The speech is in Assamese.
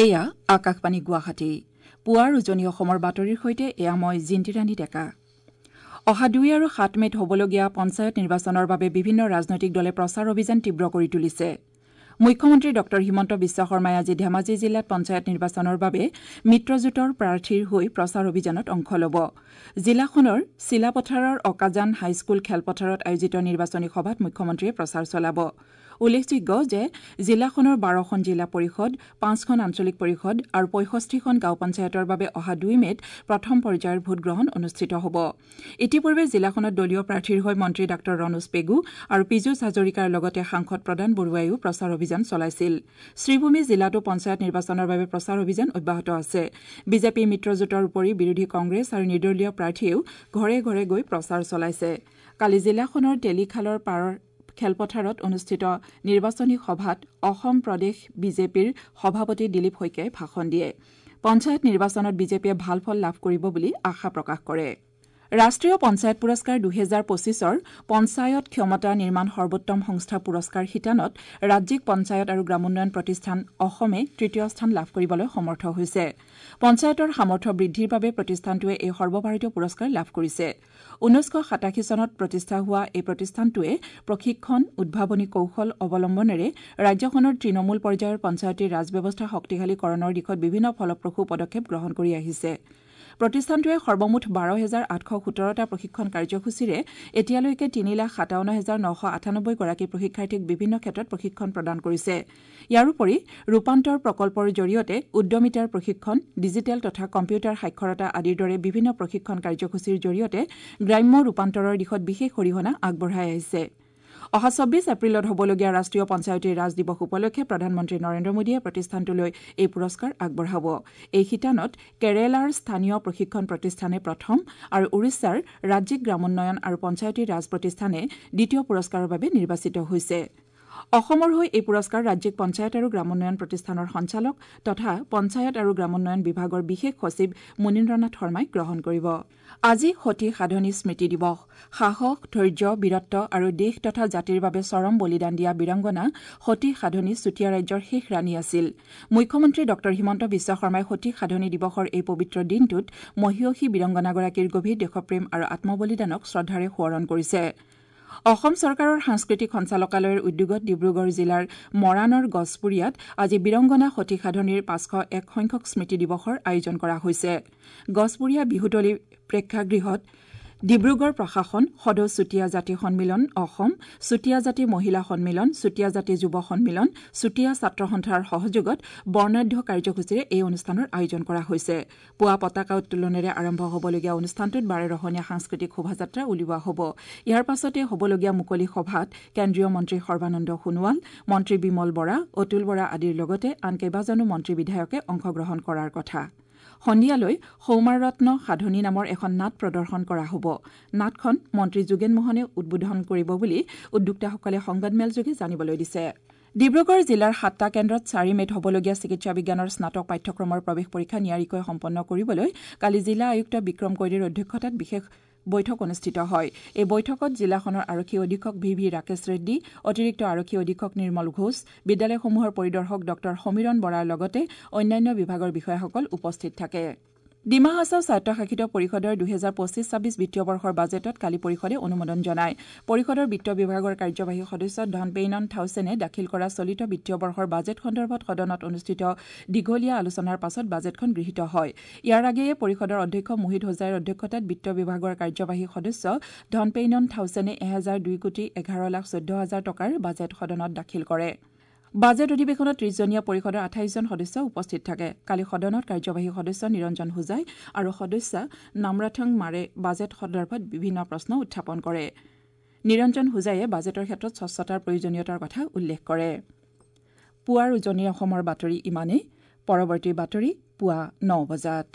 এয়া আকাশবাণী গুৱাহাটী। পুৱাৰ উজনি অসমৰ বাতৰিৰ সৈতে এয়া মই জিন্তিৰাণী ডেকা। অহা 2 আৰু 7 মে'ত হ'বলগীয়া পঞ্চায়ত নিৰ্বাচনৰ বাবে বিভিন্ন ৰাজনৈতিক দলে প্ৰচাৰ অভিযান তীব্ৰ কৰি তুলিছে। মুখ্যমন্ত্ৰী ডঃ হিমন্ত বিশ্ব শৰ্মাই আজি ধেমাজি জিলাত পঞ্চায়ত নিৰ্বাচনৰ বাবে মিত্ৰজোঁটৰ প্ৰাৰ্থীৰ হৈ প্ৰচাৰ অভিযানত অংশ ল'ব। জিলাখনৰ চিলাপথাৰৰ অকাজান হাইস্কুল খেলপথাৰত আয়োজিত নিৰ্বাচনী সভাত মুখ্যমন্ত্ৰীয়ে প্ৰচাৰ চলাব। উল্লেখযোগ্য যে জিলাখনৰ 12খন জিলা পৰিষদ, 5খন আঞ্চলিক পৰিষদ আৰু 65খন গাঁও পঞ্চায়তৰ বাবে অহা 2 মে'ত প্ৰথম পৰ্যায়ৰ ভোটগ্ৰহণ অনুষ্ঠিত হ'ব। ইতিপূৰ্বে জিলাখনত দলীয় প্ৰাৰ্থীৰ হৈ মন্ত্ৰী ডাঃ ৰণোজ পেগু আৰু পীযুষ হাজৰিকাৰ লগতে সাংসদ প্ৰদান বৰুৱাইও প্ৰচাৰ অভিযান চলাইছিল। শ্ৰীভূমি জিলাতো পঞ্চায়ত নিৰ্বাচনৰ বাবে প্ৰচাৰ অভিযান অব্যাহত আছে। বিজেপি মিত্ৰজোঁটৰ উপৰি বিৰোধী কংগ্ৰেছ আৰু নিৰ্দলীয় প্ৰাৰ্থীয়েও ঘৰে ঘৰে গৈ প্ৰচাৰ চলাইছে। কালি জিলাখনৰ তেলিখালৰ পাৰৰ খেলপথাৰত অনুষ্ঠিত নিৰ্বাচনী সভাত অসম প্ৰদেশ বিজেপিৰ সভাপতি দিলীপ শইকীয়াই ভাষণ দিয়ে। পঞ্চায়ত নিৰ্বাচনত বিজেপিয়ে ভাল ফল লাভ কৰিব বুলি আশা প্ৰকাশ কৰে। ৰাষ্ট্ৰীয় পঞ্চায়ত পুৰস্কাৰ 2025ৰ পঞ্চায়ত ক্ষমতা নিৰ্মাণ সৰ্বোত্তম সংস্থা পুৰস্কাৰ শিতানত ৰাজ্যিক পঞ্চায়ত আৰু গ্ৰামোন্নয়ন প্ৰতিষ্ঠান অসমে তৃতীয় স্থান লাভ কৰিবলৈ সমৰ্থ হৈছে। পঞ্চায়তৰ সামৰ্থ্য বৃদ্ধিৰ বাবে প্ৰতিষ্ঠানটোৱে এই সৰ্বভাৰতীয় পুৰস্কাৰ লাভ কৰিছে। 1987 চনত প্ৰতিষ্ঠা হোৱা এই প্ৰতিষ্ঠানটোৱে প্ৰশিক্ষণ, উদ্ভাৱনী কৌশল অৱলম্বনেৰে ৰাজ্যখনৰ তৃণমূল পৰ্যায়ৰ পঞ্চায়তী ৰাজ ব্যৱস্থা শক্তিশালীকৰণৰ দিশত বিভিন্ন ফলপ্ৰসূ পদক্ষেপ গ্ৰহণ কৰি আহিছে। প্ৰতিষ্ঠানটোৱে সৰ্বমুঠ 12,817টা প্ৰশিক্ষণ কাৰ্যসূচীৰে এতিয়ালৈকে 3,57,998 গৰাকী প্ৰশিক্ষাৰ্থীক বিভিন্ন ক্ষেত্ৰত প্ৰশিক্ষণ প্ৰদান কৰিছে। ইয়াৰোপৰি ৰূপান্তৰ প্ৰকল্পৰ জৰিয়তে উদ্যমিতাৰ প্ৰশিক্ষণ, ডিজিটেল তথা কম্পিউটাৰ সাক্ষৰতা আদিৰ দৰে বিভিন্ন প্ৰশিক্ষণ কাৰ্যসূচীৰ জৰিয়তে গ্ৰাম্য ৰূপান্তৰৰ দিশত বিশেষ অৰিহণা আগবঢ়াই আহিছে। অহা 26 এপ্ৰিলত হ'বলগীয়া ৰাষ্ট্ৰীয় পঞ্চায়তী ৰাজ দিৱস উপলক্ষে প্ৰধানমন্ত্ৰী নৰেন্দ্ৰ মোদীয়ে প্ৰতিষ্ঠানটোলৈ এই পুৰস্কাৰ আগবঢ়াব। এই শিতানত কেৰালাৰ স্থানীয় প্ৰশিক্ষণ প্ৰতিষ্ঠানে প্ৰথম আৰু উৰিষ্যাৰ ৰাজ্যিক গ্ৰামোন্নয়ন আৰু পঞ্চায়তী ৰাজ প্ৰতিষ্ঠানে দ্বিতীয় পুৰস্কাৰৰ বাবে নিৰ্বাচিত হৈছে। অসমৰ হৈ এই পুৰস্কাৰ ৰাজ্যিক পঞ্চায়ত আৰু গ্ৰামোন্নয়ন প্ৰতিষ্ঠানৰ সঞ্চালক তথা পঞ্চায়ত আৰু গ্ৰামোন্নয়ন বিভাগৰ বিশেষ সচিব মুনীন্দ্ৰনাথ শৰ্মাই গ্ৰহণ কৰিব। আজি সতী সাধনী স্মৃতি দিৱস। সাহস, ধৈৰ্য, বীৰত্ব আৰু দেশ তথা জাতিৰ বাবে চৰম বলিদান দিয়া বীৰাংগনা সতী সাধনী চুতীয়া ৰাজ্যৰ শেষ ৰাণী আছিল। মুখ্যমন্ত্ৰী ডঃ হিমন্ত বিশ্ব শৰ্মাই সতী সাধনী দিৱসৰ এই পবিত্ৰ দিনটোত মহীয়সী বীৰাংগনাগৰাকীৰ গভীৰ দেশপ্ৰেম আৰু আত্মবলিদানক শ্ৰদ্ধাৰে সোঁৱৰণ কৰিছে। অসম চৰকাৰৰ সাংস্কৃতিক সঞ্চালকালয়ৰ উদ্যোগত ডিব্ৰুগড় জিলাৰ মৰাণৰ গছপুৰীয়াত আজি বীৰংগনা সতী সাধনীৰ 501 সংখ্যক স্মৃতি দিৱসৰ আয়োজন কৰা হৈছে। গছপুৰীয়া বিহুতলী প্ৰেক্ষাগৃহত ডিব্ৰুগড় প্ৰশাসন, সদৌ চুতীয়া জাতি সন্মিলন অসম, চুতীয়া জাতি মহিলা সন্মিলন, চুতীয়া জাতি যুৱ সন্মিলন, চুতীয়া ছাত্ৰ সন্থাৰ সহযোগত বৰ্ণাঢ্য কাৰ্যসূচীৰে এই অনুষ্ঠানৰ আয়োজন কৰা হৈছে। পুৱা পতাকা উত্তোলনেৰে আৰম্ভ হ'বলগীয়া অনুষ্ঠানটোত বাৰেৰহণীয়া সাংস্কৃতিক শোভাযাত্ৰা উলিওৱা হ'ব। ইয়াৰ পাছতে হ'বলগীয়া মুকলি সভাত কেন্দ্ৰীয় মন্ত্ৰী সৰ্বানন্দ সোণোৱাল, মন্ত্ৰী বিমল বৰা, অতুল বৰা আদিৰ লগতে আন কেইবাজনো মন্ত্ৰী বিধায়কে অংশগ্ৰহণ কৰাৰ কথা। সন্ধিয়ালৈ সৌমাৰত্ন সাধনী নামৰ এখন নাট প্ৰদৰ্শন কৰা হ'ব। নাটখন মন্ত্ৰী যোগেন মোহনে উদ্বোধন কৰিব বুলি উদ্যোক্তাসকলে সংবাদমেলযোগে জানিবলৈ দিছে। ডিব্ৰুগড় জিলাৰ 7টা কেন্দ্ৰত 4 মে'ত হ'বলগীয়া চিকিৎসা বিজ্ঞানৰ স্নাতক পাঠ্যক্ৰমৰ প্ৰৱেশ পৰীক্ষা নিয়াৰিকৈ সম্পন্ন কৰিবলৈ কালি জিলা আয়ুক্ত বিক্ৰম কৈৰীৰ অধ্যক্ষতাত বিশেষ বৈঠক অনুষ্ঠিত হয়। এই বৈঠকত জিলাখনৰ আৰক্ষী অধীক্ষক ভি ভি ৰাকেশ ৰেড্ডী, অতিৰিক্ত আৰক্ষী অধীক্ষক নিৰ্মল ঘোষ, বিদ্যালয়সমূহৰ পৰিদৰ্শক ডঃ সমীৰণ বৰাৰ লগতে অন্যান্য বিভাগৰ বিষয়াসকল উপস্থিত থাকে। ডিমা হাছাও স্বায়ত্তশাসিত পৰিষদৰ 2025-26 বিত্তীয় বৰ্ষৰ বাজেটত কালি পৰিষদে অনুমোদন জনায়। পৰিষদৰ বিত্ত বিভাগৰ কাৰ্যবাহী সদস্য ধনপেইনন থাউচেনে দাখিল কৰা চলিত বিত্তীয় বৰ্ষৰ বাজেট সন্দৰ্ভত সদনত অনুষ্ঠিত দীঘলীয়া আলোচনাৰ পাছত বাজেটখন গৃহীত হয়। ইয়াৰ আগেয়ে পৰিষদৰ অধ্যক্ষ মোহিত হোজাইৰ অধ্যক্ষতাত বিত্ত বিভাগৰ কাৰ্যবাহী সদস্য ধনপেইনন থাউচেনে 1002,11,14,000 টকাৰ বাজেট সদনত দাখিল কৰে। বাজেট অধিৱেশনত 30জনীয়া পৰিষদৰ 28 জন সদস্য উপস্থিত থাকে। কালি সদনত কাৰ্যবাহী সদস্য নিৰঞ্জন হোজাই আৰু সদস্যা নামৰাথং মাৰে বাজেট সন্দৰ্ভত বিভিন্ন প্ৰশ্ন উত্থাপন কৰে। নিৰঞ্জন হোজাইয়ে বাজেটৰ ক্ষেত্ৰত স্বচ্ছতাৰ প্ৰয়োজনীয়তাৰ কথা উল্লেখ কৰে। পুৱাৰ উজনি অসমৰ বাতৰি ইমানেই। পৰৱৰ্তী বাতৰি পুৱা 9 বজাত।